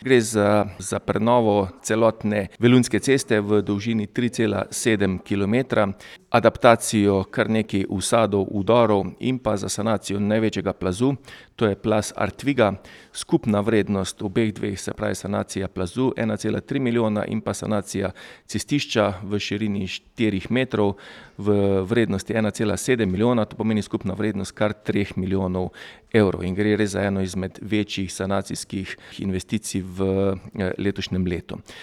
Gre za prenovo celotne Velunjske ceste v dolžini 3,7 kilometra, adaptacijo kar nekaj usadov, vdorov in pa za sanacijo največjega plazu, to je plaz Artviga. Skupna vrednost obeh dveh, se pravi sanacija plazu 1,3 milijona in pa sanacija cestišča v širini 4 metrov v vrednosti 1,7 milijona, to pomeni skupna vrednost kar 3 milijonov evrov in gre res za eno izmed večjih sanacijskih investicij v letošnjem letu.